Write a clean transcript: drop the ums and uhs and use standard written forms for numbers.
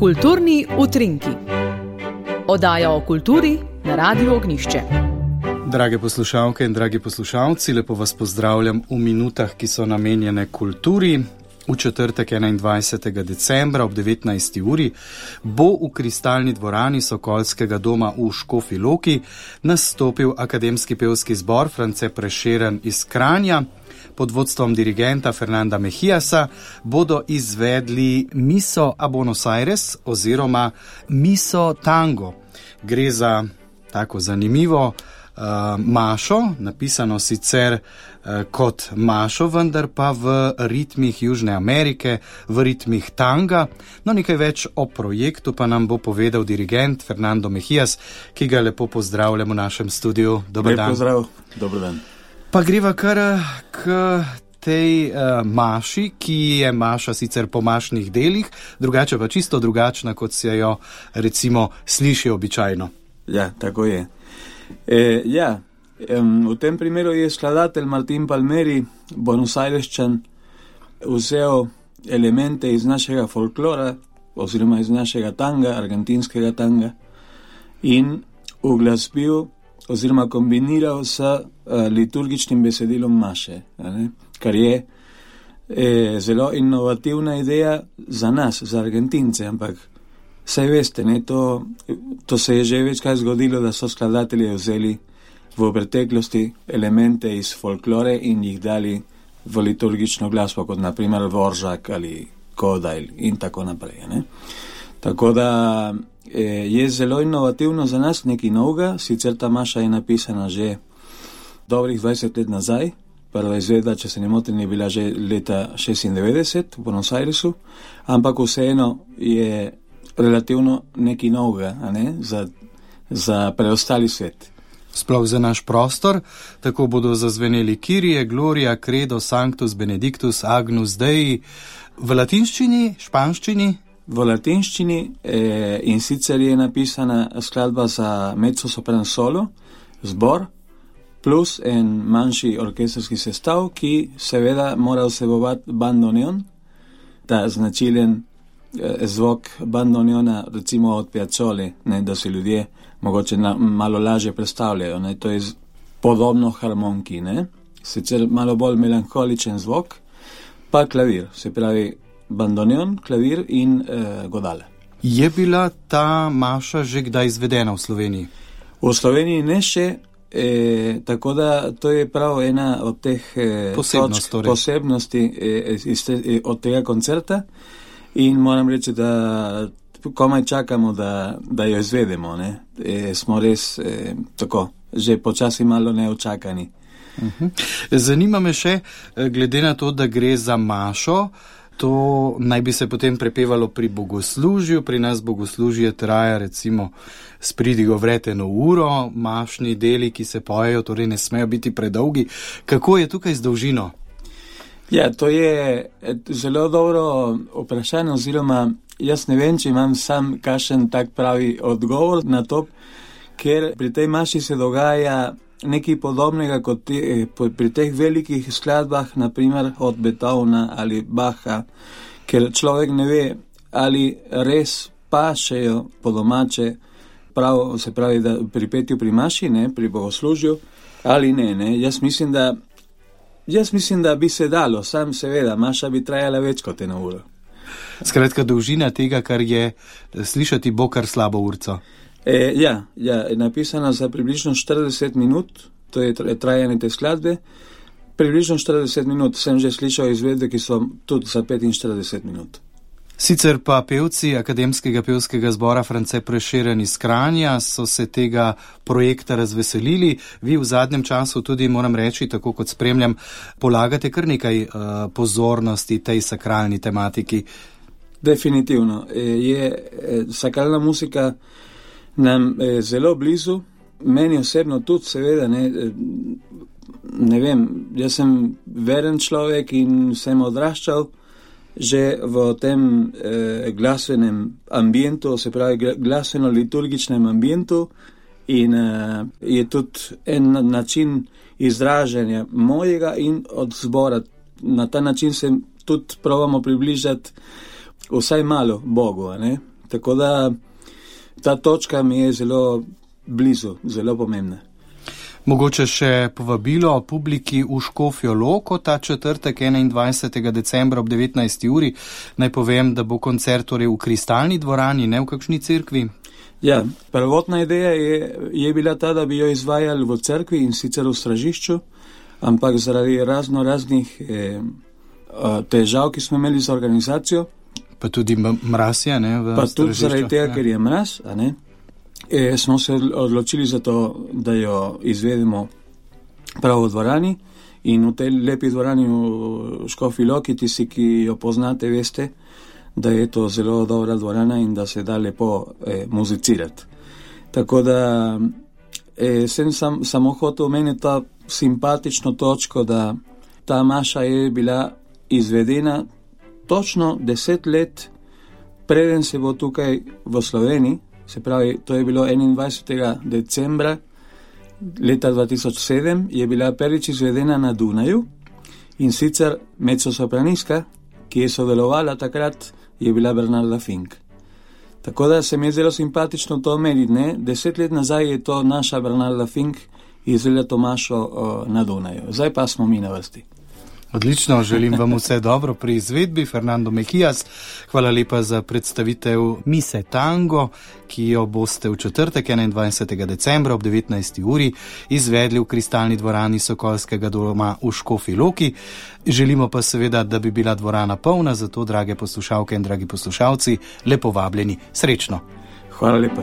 Kulturni utrinki. Oddaja o kulturi na Radiu Ognjišče. Drage poslušalke in dragi poslušalci, lepo vas pozdravljam v minutah, ki so namenjene kulturi. V četrtek 21. decembra ob 19. uri bo v Kristalni dvorani Sokolskega doma v Škofji Loki nastopil akademski pevski zbor France Prešeren iz Kranja. Pod vodstvom dirigenta Fernanda Mejijasa bodo izvedli Miso a Buenos Aires oziroma Miso tango. Gre za tako zanimivo mašo, napisano sicer kot mašo, vendar pa v ritmih Južne Amerike, v ritmih tanga. No, nekaj več o projektu pa nam bo povedal dirigent Fernando Mejijas, ki ga lepo pozdravljam v našem studiu. Dober dan. Lep pozdrav, dober dan. Pa greva kar k tej maši, ki je maša sicer po mašnih delih, drugače pa čisto drugačna, kot se jo recimo sliši običajno. Ja, tako je. V tem primeru je skladatelj Martin Palmieri, Buenos Airesčan, vzel elemente iz našega folklora, oziroma iz našega tanga, argentinskega tanga, in uglasbil oziroma kombiniral s liturgičnim besedilom maše, kar je zelo inovativna ideja za nas, za Argentince, ampak saj veste, to se je že večkrat zgodilo, da so skladatelji vzeli v preteklosti elemente iz folklore in jih dali v liturgično glasbo, kot naprimer Dvoržak ali Kodajl in tako naprej. Ne? Tako da je zelo inovativno za nas, nekaj novega, sicer ta maša je napisana že dobrih 20 let nazaj, prva izvedba, če se ne motim, je bila že leta 96 v Buenos Airesu, ampak vseeno je relativno nekaj novega, za preostali svet. Sploh za naš prostor, tako bodo zazveneli Kyrie, Gloria, Credo, Sanctus, Benedictus, Agnus Dei, v latinščini, španščini? V latinščini in sicer je napisana skladba za mezzo-sopran solo, zbor, plus en manjši orkestrski sestav, ki seveda mora vsebovati bandoneon, ta značilen zvok bandoneona, recimo od Piazzole, da se ljudje mogoče malo lažje predstavljajo. To je podobno harmoniki, sicer malo bolj melankoličen zvok, pa klavir, se pravi bandoneon, klavir in godale. Je bila ta maša že kdaj izvedena v Sloveniji? V Sloveniji ne še, tako da to je prav ena od teh posebnosti od tega koncerta in moram reči, da komaj čakamo, da jo izvedemo. Smo res tako, že počasi malo neočakani. Zanima me še, glede na to, da gre za mašo, to naj bi se potem prepevalo pri bogoslužju, pri nas bogoslužje traja recimo s pridigo vreteno uro, mašni deli, ki se pojejo, torej ne smejo biti predolgi. Kako je tukaj z dolžino? Ja, to je zelo dobro vprašanje, oziroma jaz ne vem, če imam sam kakšen tak pravi odgovor na to, ker pri tej maši se dogaja nekaj podobnega kot pri teh velikih skladbah, naprimer od Beethovna ali Bacha, ker človek ne ve, ali res pašejo po domače, se pravi, da pri petju pri maši, pri bogoslužju, ali ne. Jaz mislim, da bi se dalo, sam seveda, maša bi trajala več kot eno uro. Skratka, dolžina tega, kar je slišati, bo kar slabo urco. Ja, je napisana za približno 40 minut, to je trajanje te skladbe. Približno 40 minut sem že slišal izvedbe, ki so tudi za 45 minut. Sicer pa pevci akademskega pevskega zbora France Prešeren iz Kranja so se tega projekta razveselili. Vi v zadnjem času tudi, moram reči, tako kot spremljam, polagate kar nekaj pozornosti tej sakralni tematiki. Definitivno. Je sakralna muzika nam zelo blizu, meni osebno tudi, seveda, ne vem, jaz sem veren človek in sem odraščal že v tem glasbenem ambientu, se pravi glasbeno-liturgičnem ambientu, in je tudi en način izražanja mojega in od zbora. Na ta način se tudi probamo približati vsaj malo Bogu, Tako da ta točka mi je zelo blizu, zelo pomembna. Mogoče še povabilo publiki v Škofjo Loko ta četrtek 21. decembra ob 19. uri. Naj povem, da bo koncert torej v Kristalni dvorani, ne v kakšni cerkvi. Ja, prvotna ideja je bila ta, da bi jo izvajali v cerkvi in sicer v Stražišču, ampak zaradi raznih težav, ki smo imeli z organizacijo. Pa tudi mraz je, ne? Pa tudi zaradi tega, ker je mraz, a ne? Smo se odločili za to, da jo izvedemo prav v dvorani in v tej lepi dvorani v Škofji Loki, tisti, ki jo poznate, veste, da je to zelo dobra dvorana in da se da lepo muzicirati. Tako da sem samo hotel omeniti ta simpatično točko, da ta maša je bila izvedena točno 10 let, preden se bo tukaj v Sloveniji, se pravi, to je bilo 21. decembra leta 2007, je bila prvič izvedena na Dunaju in sicer mezzosopranistka, ki je sodelovala takrat, je bila Bernarda Fink. Tako da se mi je zelo simpatično to omeniti, ne? 10 let nazaj je to naša Bernarda Fink izvedela to mašo na Dunaju. Zdaj pa smo mi na vrsti. Odlično, želim vam vse dobro pri izvedbi. Fernando Mejijas, hvala lepa za predstavitev Mise Tango, ki jo boste v četrtek 21. decembra ob 19. uri izvedli v Kristalni dvorani Sokolskega doma v Škofji Loki. Želimo pa seveda, da bi bila dvorana polna, zato drage poslušalke in dragi poslušalci, lepo vabljeni. Srečno! Hvala lepa.